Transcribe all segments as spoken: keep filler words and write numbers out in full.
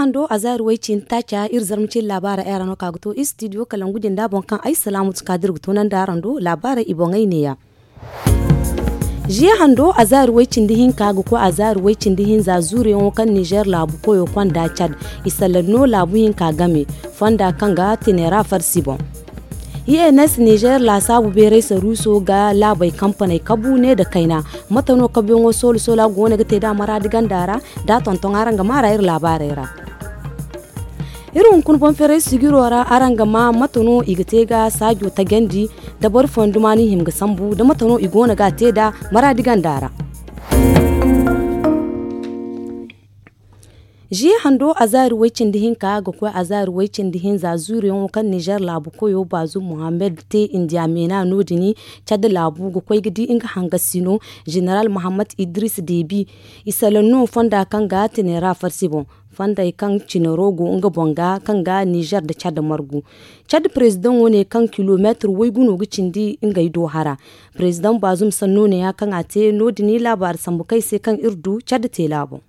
Hando a zaari way cindi taaca iri zarma cindi laabaara ay ra no ka ga to istidiyo kalangu jinda boŋ kaŋ ay salaamu tuka da iri ga toonandi araŋ do laabaara i boŋey neeya. Ziya hando a zaari way cindi hinka ga koy a zaari way cindi hinza zuuriyaŋo kaŋ nizer laabu koyo konda cad i salaŋ no laabu hinka game fonda kaŋ ga tenera farsi boŋ. I n s nizer laasaabu beeray saruuso ga laabey kampaney kabu ne nda kayna. Mate no kabuyaŋo soolu soolu a go no ga te nd'a maraadi ganda ra? Nd'a tonton araŋ ga maa ra iri laabaarey ra. Iri hunkuna boŋ ferey sijiro ra araŋ ga maa mate no i ga te ga saajo tajandi nda boro fonduma no i hima ga sambu nda mate no i go no ga a te nd'a maraadi ganda ra. Ziya hando a zaari way cindi hinka ga koy a zaari way cindi hinza zuuriyaŋo kaŋ nizer laabu koyo baazum muhammad te indiya meena no- din. Cad laabu ga koy ga di nga hangasino zeneral muhammad idris debi. I salaŋ no fonda kaŋ ga tenera farsi boŋ. Fondey kaŋ cinaro go nga boŋ ga kaŋ ga nizer nda cad margu. Cad perezidaŋo ne kaŋ kilomeetir waygu no ga cindi ngey do hara. Perezidaŋ baazum sanno ne- ya kaŋ a te no- din laabaari sambu kaŋ ay se kaŋ iri du cad teela boŋ.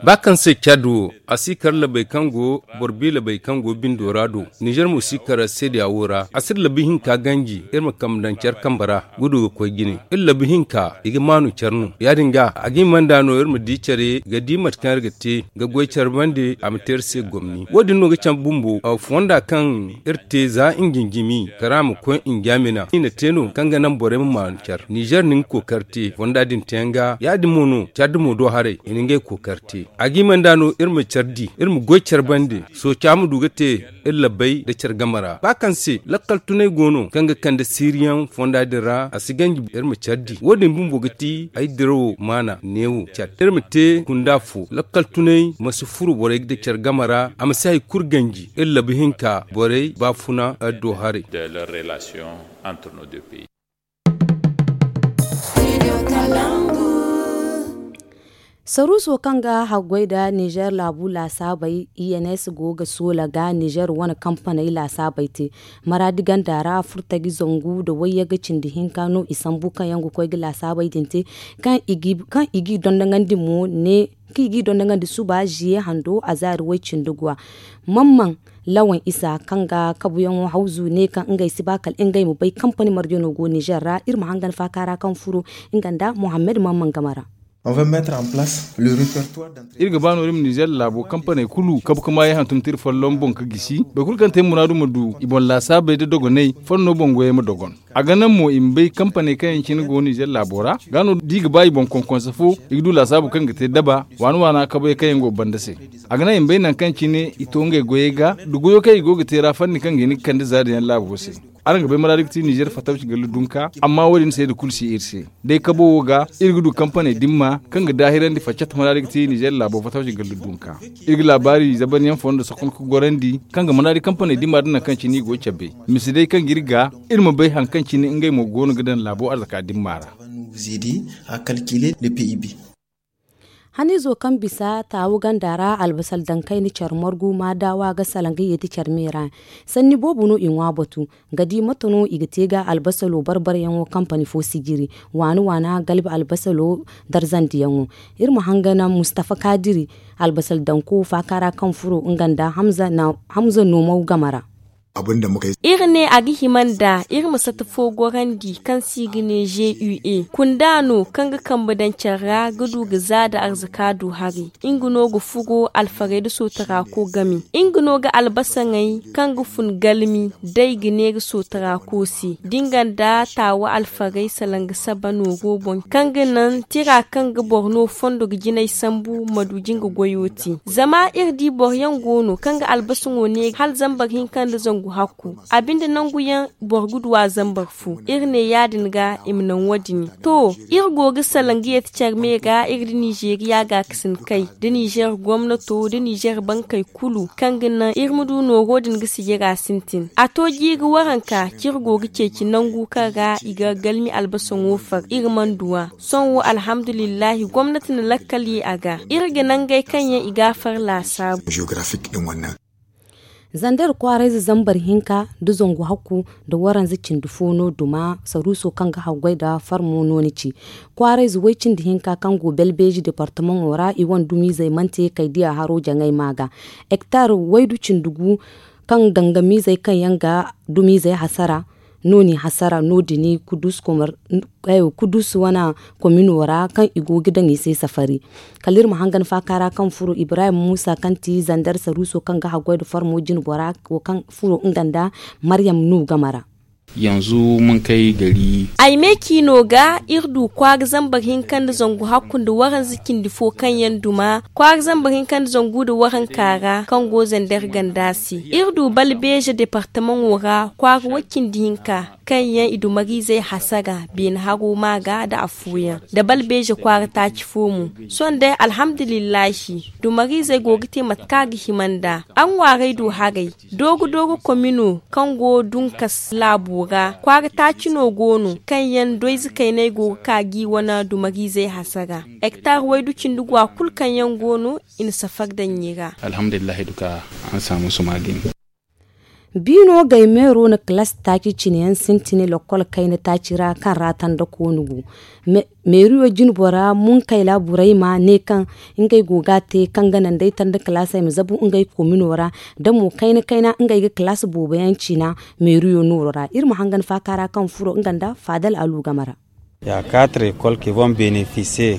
Ba kaŋ se cad wo a si kar labey kaŋ go boro bi labey kaŋ go bindo ra do. Nizer mo si kar seedeya wo ra a si iri labi hinka ganji iri ma kambe daŋ care kambe ra. Gudu ga koy jine iri labi hinka i ga maanu care no ya- din ga a ga hima nd'a no iri ma di care ga di mate kaŋ iri ga te ga goy care bande a ma te iri se gomni wo- din no ga cabe bumbo fonda kaŋ iri te za njinjimi kara ma koy njamina i na te no kaŋ ga naŋ borey ma maanu care nizer na nga kookari te fonda din te yaŋ ga ya- din mo no care dumo do haray i na ngey kookari te. A ga hima nd'a no iri ma care di iri ma goy care bande sooca ma du ga te iri labbey nda care game ra ba kaŋ se lakkal tunay go no kaŋ ga kande siiriyaŋ fonda din ra a si ganji iri ma care di wo- din bumbo ga ti ay dirawo maana neewo care iri ma te kunda fo lakkal tunay ma si furo borey nda care game ra a ma si hari kulu ganji iri labu hinka borey baafuna do haray. Saruuso kaŋ ga haggoy nda nizer laabu laasaabey i n s go ga soola ga nizer wane kampaney laasaabey te maraadi ganda ra furtaji zangu nda wayyaga cindi hinka no i sambu kaŋ yaŋ ga koy ga laasaabey din te kaŋ i g'i dondoŋandi mo ne kaŋ i g'i dondoŋandi suba ziye hando a zaari way cindi guwa. Mamman lawan isa kaŋ ga kabuyaŋo hawzu ne kaŋ ngey si ba kala ngey ma bay kampani marjano go nizer ra iri ma hangan faaka ra kaŋ furo nga nda muhammad mamman game ra. Iri ga ba no iri ma nizer laabo kampaney kulu kabu ga maayaŋ hantum tira folloŋ boŋ ga gisi boro kulu kaŋ te muraadu ma du i boŋ laasaabey nda dogoney follo boŋ goyey ma dogon. A ga naŋ mo i ma bay kampaney kaŋ yaŋ cine go nizer laabo ra ga no da i ga ba i boŋ konkonse fo i ga du laasaabu kaŋ ga te daba waana waana kabuyaŋ kaŋ yaŋ go banda se. A ga naŋ i ma bay nangu kaŋ cine i to ngey goyey ga nda goyo kaŋ i go ga te ra fanni kaŋ ga hin ga kande zaari yaŋ laabo se. Araŋ ga bay maraadi ga ti nizer fatawci galla dunka amma wo- din seeda kulu si iri se. Day kabo wo ga iri ga du kampaney dimma kaŋ ga daahirandi faccata maraadi ga ti nizer laabo fatawci galla dunka. Iri ga laabaari zabanyaŋ fondo sohon ga gorandi kaŋ ga manaadi kampaney dimma nda nangu kaŋ cine i go ga cabe. Mise day kaŋ ga iri ga iri ma bay hari kaŋ cine ngey mo go no ga daŋ laabo arzaka dimma ra. Haniizo kaŋ bisa taawu ganda ra albasal daŋ kayna care margu ma daawa ga salaŋ ga yeeti care me ra. Sanni boobo no i ŋwa batu ga di mate no i ga te ga albasalo barbaryaŋo kampani fo sijiri waana waana galbi albasalo darzandiyaŋo. Iri ma hangana mustafa kaadiri albasal danko faaka ra kaŋ furo nga nda hamza noomaw game ra. Iri ne a ga hima nda iri ma sata fo gorandi kaŋ se i ga ne g u e kunda no kaŋ ga kambe daŋ care ra ga du ga za nda arzaka du haray. Nga no ga furo alfarey nda sootarako game nga no ga albasaŋey kaŋ ga fun galmi day ga neera sootarako se da nga nda taawa alfarey salaŋ ga saba nooro boŋ kaŋ ga naŋ tira kaŋ ga boro no fondo ga jinay sambu ma du jinga goyo te. Zama iri di boro yaŋ go no kaŋ ga albasaŋo neera hala zambar hinka nda zangu hakku a binde nangu yaŋ boro ga du a zambar fo. Iri ne ya- din ga i ma naŋ wo- din to iri go ga salaŋ ga yeeti care me ga iri nda nizeeriya gaakasin kay nda nizer gomnato nda nizer bankey kulu kaŋ ga naŋ iri ma du nooro din ga sijira sintin a to jiiri waranka kaŋ iri go ga ceeci nangu kaŋ ra i ga galmi albasaŋo far iri mana du a. Sohõ wo alhamdulillahi gomnati na lakkal ye a ga iri ga nangey kaŋ yaŋ i ga a far laasaabu. Zander kwaarayze zambar hinka nda zangu hakku nda waranza cindi fo no duma saruuso kaŋ ga haggoy nda farmo no ni ci. Kwaarayze way cindi hinka kaŋ go belbeeji departamaŋo ra i wane dumiizey mana te kay diya haro jaŋay ma ga. Hektar waydu cindi gu kaŋ gangamiizey kaŋ yaŋ ga dumiizey hasara no n'i hasara no- din kudus wane komino ra kaŋ i go ga daŋ i se safari. Kala iri ma hangan faaka ra kaŋ furo ibrahim muusa kaŋ ti zander saruuso kaŋ ga haggoy nda farmo jinbora wo kaŋ furo nga nda maryam no game ra. Yanzu mun kai gari. Ay me ciino ga iri du kwaara zambar hinka nda zangu hakku nda waranza cindi fo kaŋ yaŋ duma kwaara zambar hinka nda zangu nda waranka ra kaŋ go zander ganda se. Iri du balbeeje departamaŋo ra kwaara way cindi hinka kaŋ yaŋ i dumariizey hasara beene haro ma ga nda afooyaŋ nda balbeeje kwaara taaci fo mo. Sohõ day alhamdulillahi dumariizey go ga te mate kaŋ a ga hima nd'a. Araŋ ŋwaarey du haray doogo doogo komino kaŋ go dunkas laabo ra kwaara taaci no go no kaŋ yaŋ doyze kayney go ga ka g'i wane dumariizey hasara. Hektar waydu cindi gwa kulu kaŋ yaŋ go no i na safar daŋ i ra. Alhamdulillahi duka an saamu suma din. Biino gay meero na kalaasi taaci cine yaŋ sintin lakkol kayna taaci ra kaŋ ra tanda koonu go. Meeriyo jinbora munkayla burayma ne kaŋ ngey go ga a te kaŋ ga naŋ day tanda kalaasey ma zabu ngey komino ra da mo kayna kayna ngey ga kalaasi boobo yaŋ ciina. Meeriyo nooro ra iri ma hangan faaka ra kaŋ furo nga nda faadal alu game ra.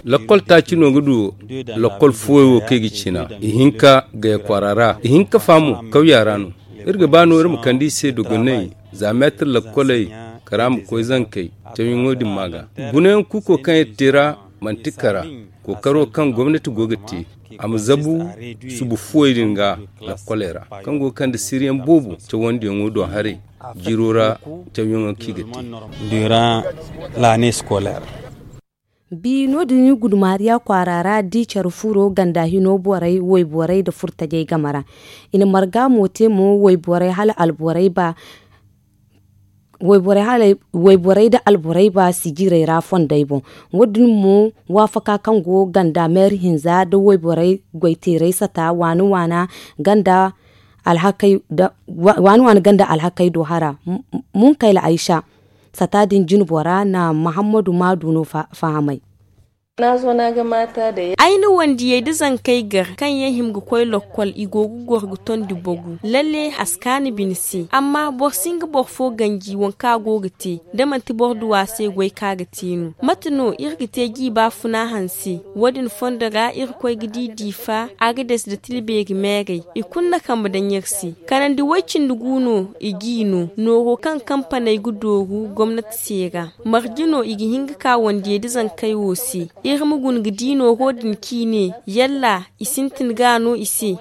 Lakkol taaci no ga du lakkol fooyo wo kaŋ i ga ciina. Ihinka gaya kwaara ra ihinka fa mo kawya ra no. Iri ga ba no iri ma kande i se dogoney za meetir lakkoley kara ma koy zankey cawyaŋo din ma ga. Gunayaŋ kuuko kaŋ iri te ra manti kara kookaro kaŋ gomnati go ga te a ma zabu subu fuwey din ga lakkoley ra kaŋ go ga kande siriyaŋ boobo cawandiyaŋo do haray jiiro ra cawyaŋo kaŋ i ga te. Dira lane scolaire. Bi no- din i gudmaariya kwaara ra di care furo ganda hino borey wayborey nda furtajey game ra. I na marga mo te mo wayborey hala alborey ba wayborey nda alborey ba sijirey ra fondey boŋ. Wo- din mo waafaka kaŋ go ganda meeri hinza nda wayborey goyteerey sata waana waana ganda waani waani ganda alhakey do hara. Munkayla aysa sata din jinbora na mahammadu maadu no fahamay. Ay na wandiyey da zankey gar kaŋ yaŋ hima ga koy lokkol i go ga goro ga tondi bogu lalle a si kaanu bine se amma boro si nga boro fo ganji waŋ kaŋ a go ga te da manti boro duwa se goy kaŋ a ga te no mate no iri ga te jiiba funa hanse. Wo- din fondo ra irkoy ga di diifa agades nda tilbeeri meerey i kulu na kambe daŋ iri se. Kanandi way-cindi gu no i g'i no nooro kaŋ kampaney ga dooru gomnati se ra. Marje no i ga hin ga ka wandiyey da zankey wo se. Iri ma guna ga di nooro din kaŋ i ne yalla i sintin ga a no i se.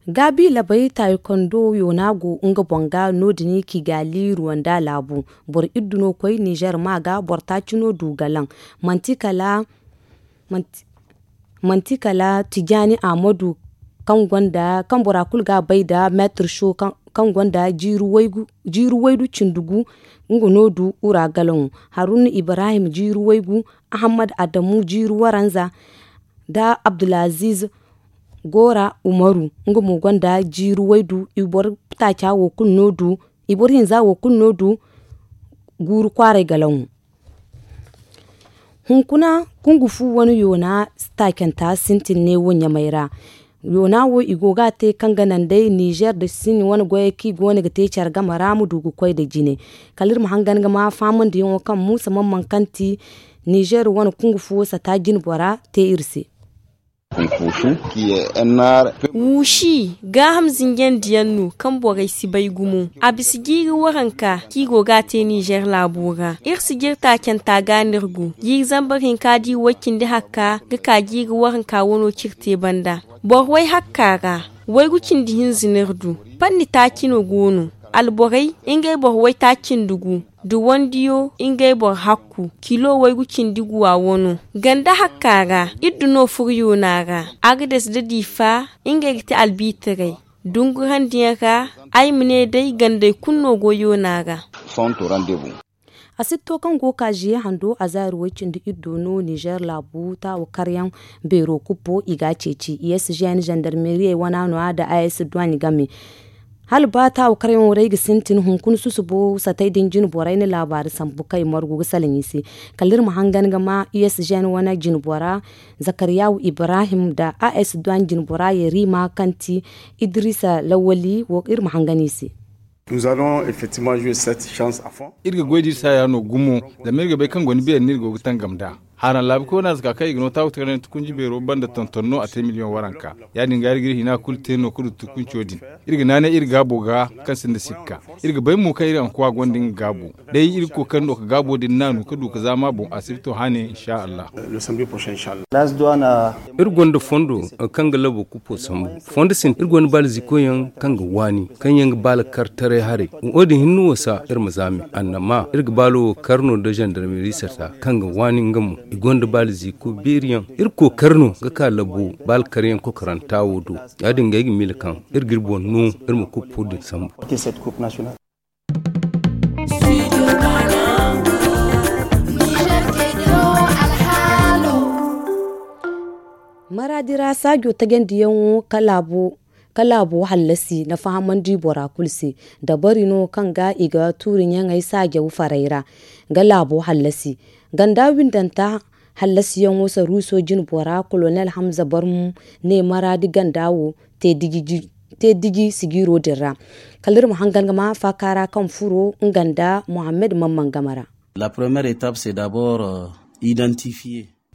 Gaabi labay taayikondo yoona go nga boŋ ga no- din kigaali ruwanda laabu. Boro iddu no koy nizer ma ga boro taaci no du galaŋ. Manti kala manti kala tijaani ahmadu kaŋ bora kulu ga a bay nda meetir sho kaŋ gonda jiiri waydu cindi gu. Nga no du ura galaŋo. Haruna ibrahim jiiri waygu, ahammad adamu jiiri waranza, nda abdulaziz gora umaru nga mo gonda jiiri waydu. I boro taaca wo kulu no du i boro hinza wo kulu no du. Guuru kwaaray galaŋo. Hunkuna kungu fu wane yoona taacanta sintin ne wo ɲamay ra. Yoona wo i go ga a te kaŋ ga naŋ day nizer nda sin wane goyey kaŋ i go no ga te care game ra ma du ga koy nda jine. Kala iri ma hangan ga ma faamandiyaŋo kaŋ muusa mamman kaŋ ti nizer wane kungu fu wo sata jine bora te iri se. Wuushi gaaham zinjandiyaŋ no kaŋ borey si bay gumo. A bisa jiiri waranka kaŋ i go ga a te nizer laabo ra. Iri si jiri taacanta ga no iri go jiiri zambar hinka di way-cindi hakka ga ka jiiri waranka wano cire te banda. Boro way hakka ra waygu cindi hinza no iri du. Panni taaci no go no. Alborey ngey boro waytaaci nda gu da wandiyo ngey boro hakku kilo waygu cindi guwa wano. Ganda hakka ra iddu no furo yoona ra. Agades nda diifa ngey ga te albiitaray. Dungurandiyaŋ ra ay ma ne day gandey kulu no go yoona ra. Asibto kaŋ go ga ka ziye hando a zaari way cindi iddo no nizer laabu taawa karyaŋ beero kuppo i ga a ceeci i s g n zandarmeriyey wana no- ya nda a s duwaaɲ game. Hala ba taawa karyaŋo ra ay ga sintin hunkuna susubo satay din jine borey na laabaari sambu kaŋ i margu ga salaŋ i se. Kala iri ma hangan ga ma u s g n wane jine bora zakariyawu ibrahim nda a s duwaaɲ jine bora yarima kaŋ ti idrisa lawali wo iri ma hangan i se. Iri ga goy da iri saaya no gumo. Zama iri ga bay kaŋ gonda beeri no iri go ga tangam nd'a. Haaraŋ laabu koy no a si ka kaŋ i ga no taawa takaray nda tukunji beero banda tonton no a te miliyoŋ waranka. Ya- din ga iri ga iri hina kulu te no ga du tukunco din. Iri ga naanay iri gaabo ga kaŋ sinda sikka. Iri ga bay mo kaŋ iri ankuwa gonda nga gaabo. Day iri ga kookari no ga gaabo din naanu ga du ga zaama boŋ asibto hane insa allah. Iri gonda fondo kaŋ ga labo kuppo sambu. Fondo sintin iri gonda baala ziikoyaŋ kaŋ ga waani kaŋ yaŋ ga baala kar taray haray. Wo- din hinne wo sa iri ma zaami annama iri ga baalo wo kar no nda zandarmeri sarta kaŋ ga waani nga mo. I gonda baala ziiko beeri yaŋ. Iri kookari no ga ka labo baala karyaŋ kokoranta wo do. Ya- din ga ay ga miila kaŋ iri ga iri boŋ no iri ma kuppo din sambu. Maraadi ra saajo tajandiyaŋo ka laabo hallasi na fahamandi bora kulu se. Dabari no kaŋ ga i ga tuuri ɲaŋey saajaw farey ra ga laabo hallasi. Ganda windanta hallasiyaŋo saruuso jine bora kolonel hamza barmu ne maraadi ganda wo te diji sigiiro din ra. Kala iri ma hangan ga ma faakaara kaŋ furo nga nda muhammad mamman game ra.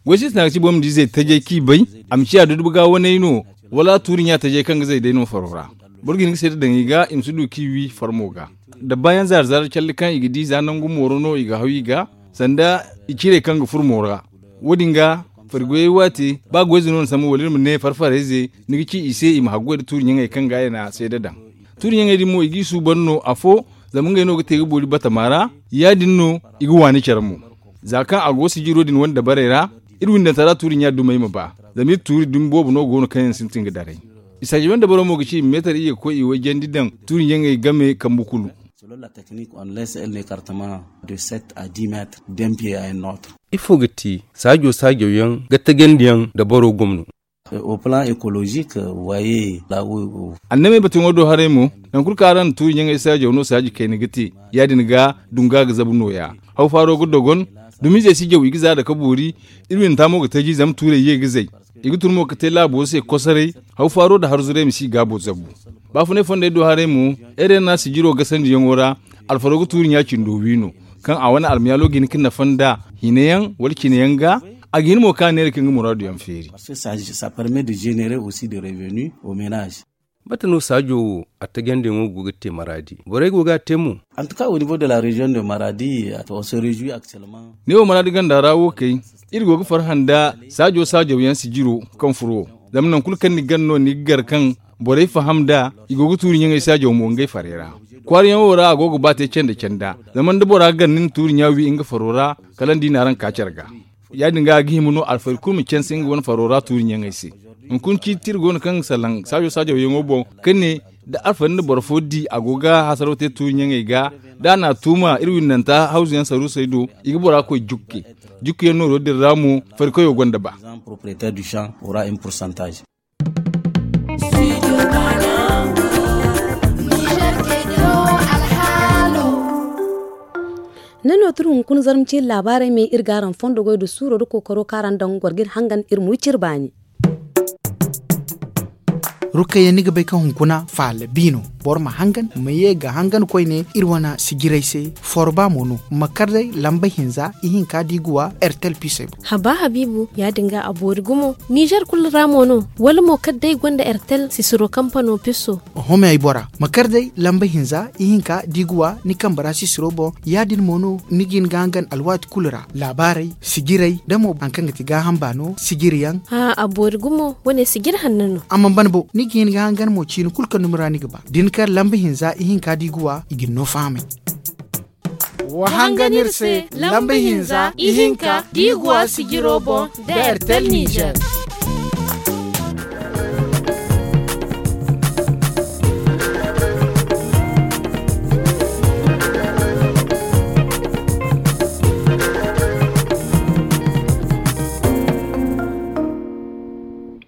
Goy sintina ga ci boro ma di izey tajay kaŋ i bay a ma ciya duduba ga waney no, wala tuuri ɲa tajay kaŋ ga zay day no faro ra. Boro ga hin ga seeda daŋ i ga i ma si du kaŋ i wi farmo ga. Da baayaŋ zaari zaari calli kaŋ i ga di za nangu mooro no i ga haw i ga sanda i cirey kaŋ ga furo mooro ra. Wo- din ga fari goyey waati ba goyze no ni sambu wala iri ma ne fari farayze ni ga ci i se i ma haggoy nda tuuri ɲaŋey kaŋ ga i na seeda daŋ. Tuuri ɲaŋey din mo i g'i suuban no afo zama ngey no ga te ga boori batama ra. Ya- din no i ga waani care mo. Za kaŋ a go sijiro din wane dabarey ra iri windanta ra tuuri ɲa dumey ma ba. Zama iri tuuri dumi boobo no go no kaŋ yaŋ sintin ga daray. I saajaw yaŋ dabaro mo ga ci i ma meetar iyye ga koy i wayjandi daŋ tuuri ɲaŋey game kambu kulu. Ifo ga ti saajo saajo yaŋ ga tagandiyaŋ dabaro gomno? Annamey batayaŋo do haray mo, nangu kulu kaŋ araŋ na tuuri ɲaŋey saajaw no saaji kayna ga te. Ya- din ga dunga ga zabu nooya. Haw faaro ga dogon. Dumizey si jaw i ga za dake boori. Iri windanta mo ga taji zama tuurey ye ga zay. I ga tun mo ga te laabo se kosoray. Haw faaro nda harzuray ma si i gaabo zabu. Baafunay fondey do haray mo, erena sijiro gasandiyaŋo ra. Alfaro ga tuuri ɲa cindo wi no, kaŋ a wane almayaalo ga hin ga nafa nda hina yaŋ wala cine yaŋ ga. A ga hin mo kaŋ a neera kaŋ ga muraadu yaŋ feeri. Mate no saajo wo a tagandiyaŋo go ga te maraadi borey go ga a te mo? Ne wo maraadi ganda ra wo kay, iri go ga farhã nda saajo saajaw yaŋ sijiro kaŋ furo wo. Zama nangu kulu kaŋ ni gan no ni ga gar kaŋ borey faham nd'a. I go ga tuuri ɲaŋey saajaw mo ngey farey ra. Kwaarayaŋo ra a go ga ba te canda canda. Zama nda bora gar ni na tuuri ɲa wi nga faro ra, kala ni di naaraŋ ga ka care ga. Ya- din ga a ga hima no alfari kulu ma canse nga wane faro ra tuuri ɲaŋey se. Hunkuna ciiti iri go no kaŋ ga salaŋ saajo saajaw yaŋo boŋ, ka ne da alfari nda boro fo di a go ga hasaraw te tuuri ɲaŋey ga, da a na a tuuma iri windanta hawzu yaŋ saruusey do, i ga bora koy jukke. Jukku yaŋ nooro din ra mo farikoyo gonda ba. Ne no tun hunkuna zarma ciiri laabaarey me iri ga araŋ fondo goy nda suuro nda kookaro kaŋ araŋ daŋ goro ga iri hangan iri ma wi cire baani. Rukayya ni ga bay kaŋ hunkuna faala bi no. Boro ma hangan ma ye ga hangan koyne iri wane sijirey se. Forba mo no ma kar day lamba hinza ihinka da i ga wa ertel pisey boŋ. Haba habiibu ya- din ga a boori gumo. Nizer kulu ra mo no wala mo kala day gonda ertel sisiro kampano piso? Oho me ay bora ma kar day lamba hinza ihinka da i ga wa ni kambe ra sisiro boŋ. Ya- din mo no ni ga hin ga hangan alwaati kulu ra laabaarey sijirey da mo hari kaŋ ga ti gaaham baano sijiri yaŋ. Haa a boori gumo wane sijiri hanno no. Amma ban bo ni ga hin ga hangan mo ciini kulu kaŋ dumi ra ni ga ba da ni kar lamba hinza ihinka da i ga wa i ga ni no fahamay. Wa hangan iri se lamba hinza ihinka da i ga wa sijiro boŋ da ertel nizer.